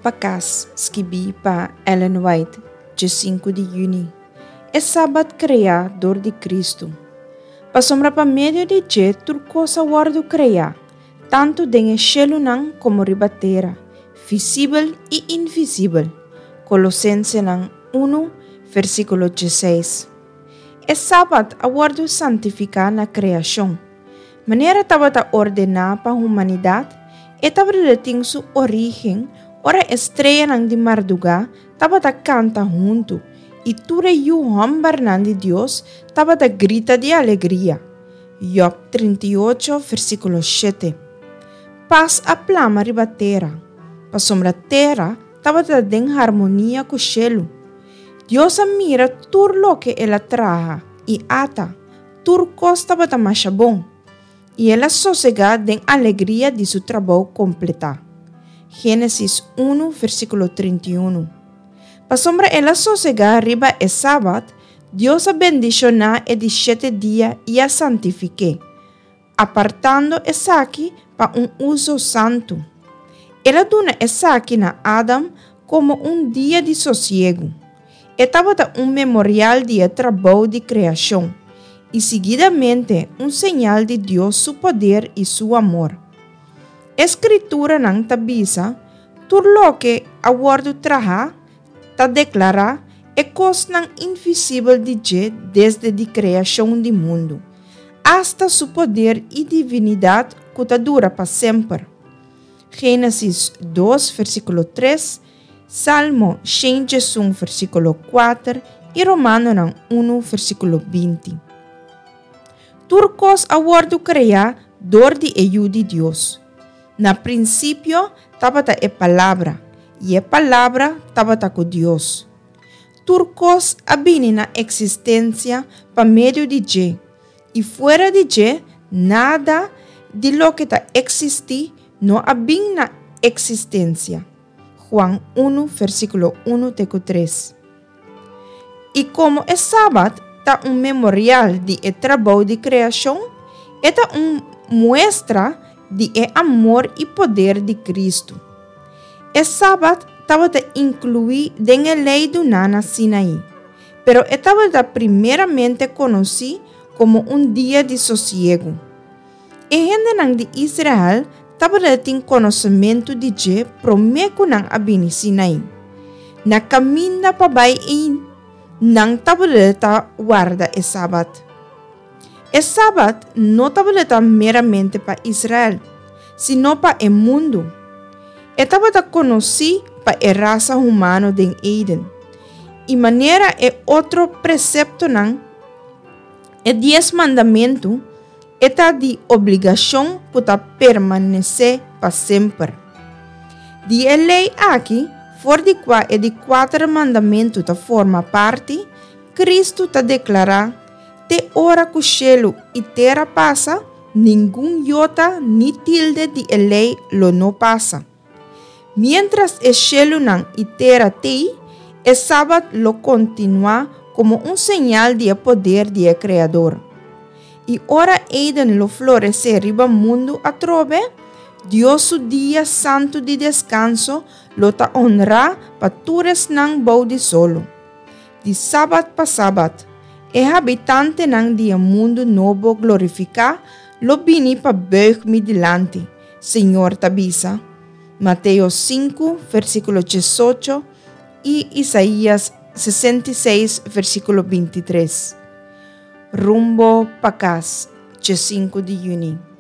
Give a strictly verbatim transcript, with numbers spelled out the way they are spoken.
pa Kas, skibí pa Ellen White, sinku di yüni. E Sabat kreá dor di Kristu. Pasobra pa medio di dje tur kos a wòrdu kreá, tantu den shelunan komo riba tera, visibel i invisibel. Kolosensenan un, versíkulo diesseis. E Sabat a wòrdu santifiká na kreashon. Manera tabata ordená pa humanidat, e tabatin su orígen ora e streanan di mardugá tabata kanta huntu i tur e yu hòmbernan di Dios tabata grita di alegria. Job trinta i ocho, versíkulo shete. Pas a plama riba tera, pasobra tera tabata den harmonia ku shelu. Dios a mira tur loke el a traha i ata, tur kos tabata masha bon. I el a sosegá den alegria di su trabou kompletá. Génesis un, versíkulo trinta i un. Pasobra el a sosegá riba e sabat, Dios a bendishoná e di shete dia i a santifik'é, apartando esaki pa un uso santu. El a duna esaki na Adam komo un dia di sosiegu. E tabata un memorial di trabou di kreashon i seguidamente un señal di Dios su poder i su amor. Skrituranan ta bisa, tur loke a wòrdu trahá, ta deklará e kosnan invisibel di dje desde di kreashon di mundu, hasta su poder i divinidat ku ta dura pa semper. Génesis dos, versíkulo tres, Salmo shen i un, versíkulo kuater i Romanonan un, versíkulo binti. Tur kos a wòrdu kreá dor di e Yu di Dios. Na prinsipio tabata e Palabra, i e Palabra tabata ku Dios. Tur kos a bini na eksistensia pa medio di dje, i fuera di dje, nada di loke ta eksistí no a bini na eksistensia. Juan un, versíkulo un te tres. I komo e Sabat ta un memorial di e trabou di kreashon, e ta un muestra di e amor i poder di Kristu. E Sabat tabata inkluí den e lei duná na Sinai, pero e tabata primeramente konosí komo un dia di sosiegu. E hendenan di Israel tabatin konosementu di dje promé ku nan a bini Sinai. Na kaminda pa bai ei, nan tabata warda e Sabat. E Sabat no tabata meramente pa Israel, sino pa e mundu. E tabata konosí pa e rasa humano den Eden. I manera e otro preseptonan, e dies mandamentu, e ta di obligashon ku ta permanesé pa semper. Di e lei aki, for di kua e di kuater mandamentu ta forma parti, Kristu ta deklará: te ora ku shelu i tera pasa, ningun yota ni tilde di e lei lo no pasa. Mientras e shelunan i tera tei, e Sabat lo kontinuá komo un señal di poder di e Kreador. I ora Eden lo floresé riba mundu atrobe, Dios su dia santu di deskanso lo ta honrá pa tur esnan bou di solo. Di sabat pa sabat, e habitantenan di mundu nobo glorifiká lo bini pa buig mi dilanti, Señor ta bisa. Mateo sinku, versíkulo diesocho i Isaías sesenta i seis, versíkulo bintitres. Rumbo pa Kas, sinku di yüni.